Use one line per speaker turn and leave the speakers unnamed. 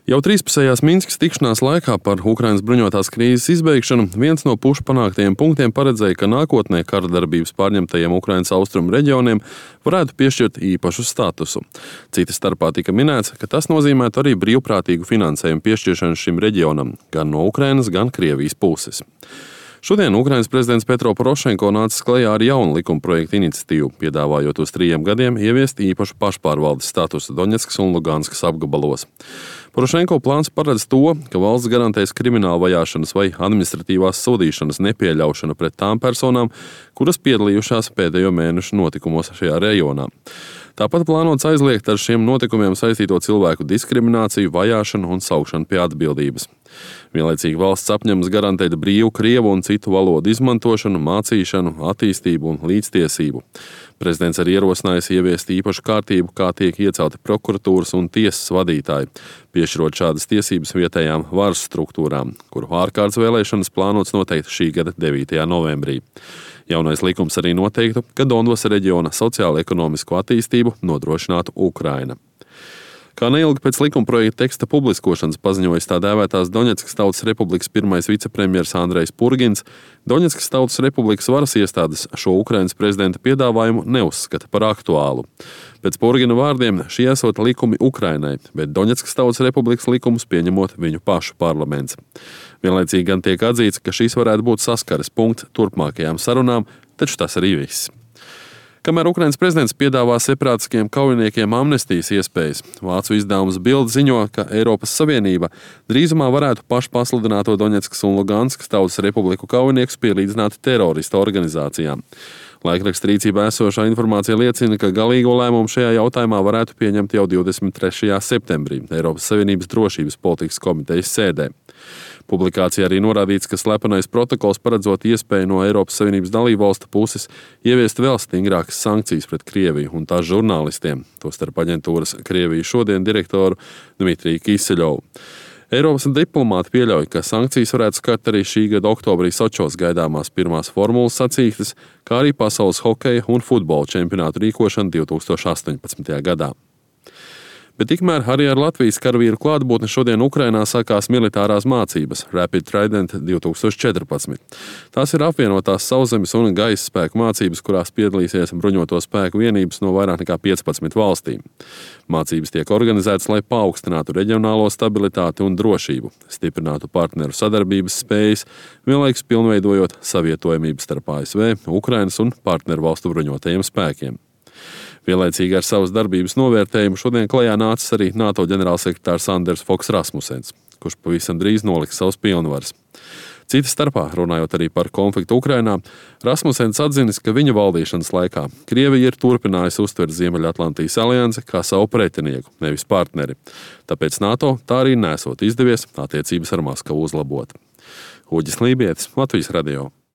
Jau trīspusējās Minskas tikšanās laikā par Ukrainas bruņotās krīzes izbeigšanu viens no pušu panāktajiem punktiem paredzēja, ka nākotnē kara darbības pārņemtajiem Ukrainas austrumu reģioniem varētu piešķirt īpašu statusu. Cita starpā tika minēts, ka tas nozīmētu arī brīvprātīgu finansējumu piešķiršanu šim reģionam, gan no Ukrainas, gan Krievijas puses. Šodien Ukrainas prezidents Petro Porošenko nācis klajā ar jaunu likumprojektu iniciatīvu, piedāvājot uz 3 gadiem ieviest īpašu pašpārvaldes statusu Doņetskas un Luganskas apgabalos. Porošenko plāns paredz to, ka valsts garantēs krimināla vajāšanas vai administratīvās sodīšanas nepieļaušanu pret tām personām, kuras piedalījušās pēdējo mēnešu notikumos šajā reģionā. Tāpat plānots aizliegt ar šiem notikumiem saistīto cilvēku diskrimināciju, vajāšanu un saukšanu pie atbildības. Vienlaicīgi valsts apņemas garantēt brīvu krievu un citu valodu izmantošanu, mācīšanu, attīstību un līdztiesību. Prezidents arī ierosinājis ieviest īpašu kārtību, kā tiek iecelti prokuratūras un tiesas vadītāji, piešķirot šādas tiesības vietējām varas struktūrām, kuru ārkārtas vēlēšanas plānots noteikt šī gada 9. novembrī. Jaunais likums arī noteiktu, ka Donbasa reģiona sociālo-ekonomisko attīstību nodrošinātu Ukraina. Kā neilgi pēc likumprojekta teksta publiskošanas paziņojis tā dēvētās Doņetskas Tautas Republikas pirmais vicepremjers Andrejs Purgins, Doņetskas Tautas Republikas varas iestādes šo Ukrainas prezidenta piedāvājumu neuzskata par aktuālu. Pēc Purgina vārdiem šie esot likumi Ukrainai, bet Doņetskas Tautas Republikas likumus pieņemot viņu pašu parlaments. Vienlaicīgi gan tiek atzīts, ka šīs varētu būt saskares punkts turpmākajām sarunām, taču tas arī viss. Kamēr Ukrainas prezidents piedāvā separātiskiem kaujiniekiem amnestijas iespējas, vācu izdevums Bild ziņo, ka Eiropas Savienība drīzumā varētu pašpasludināto Doņetskas un Luganskas Tautas Republiku kaujiniekus pielīdzināt teroristu organizācijām. Laikraksta rīcībā esošā informācija liecina, ka galīgo lēmumu šajā jautājumā varētu pieņemt jau 23. septembrī Eiropas Savienības drošības politikas komitejas sēdē. Publikācijā arī norādīts, ka slepenais protokols paredzot iespēju no Eiropas Savienības dalībvalstu puses ieviest vēl stingrākas sankcijas pret Krieviju un tās žurnālistiem, tostarp aģentūras Krievija šodien direktoru Dmitriju Kiseļovu. Eiropas diplomāti pieļauj, ka sankcijas varētu skart arī šī gada oktobrī Sočos gaidāmās pirmās formulas sacīkstes, kā arī pasaules hokeja un futbola čempionātu rīkošanu 2018. gadā. Bet tikmēr arī ar Latvijas karavīru klātbūtni šodien Ukrainā sākās militārās mācības Rapid Trident 2014. Tās ir apvienotās sauszemes un gaisa spēku mācības, kurās piedalīsies bruņoto spēku vienības no vairāk nekā 15 valstīm. Mācības tiek organizētas, lai paaugstinātu reģionālo stabilitāti un drošību, stiprinātu partneru sadarbības spējas, vienlaikus pilnveidojot savietojamību starp ASV, Ukrainas un partneru valstu bruņotajiem spēkiem. Vienlaicīgi ar savas darbības novērtējumu šodien klajā nācis arī NATO ģenerālsekretārs Anders Foks Rasmussens, kurš pavisam drīz noliks savus pilnvaras. Cita starpā, runājot arī par konfliktu Ukrainā, Rasmussens atzinis, ka viņa valdīšanas laikā Krievija ir turpinājusi uztvert Ziemeļatlantijas aliansi kā savu pretinieku, nevis partneri. Tāpēc NATO tā arī nesot izdevies attiecības ar Maskavu uzlabot. Uģis Lībietis, Latvijas radio.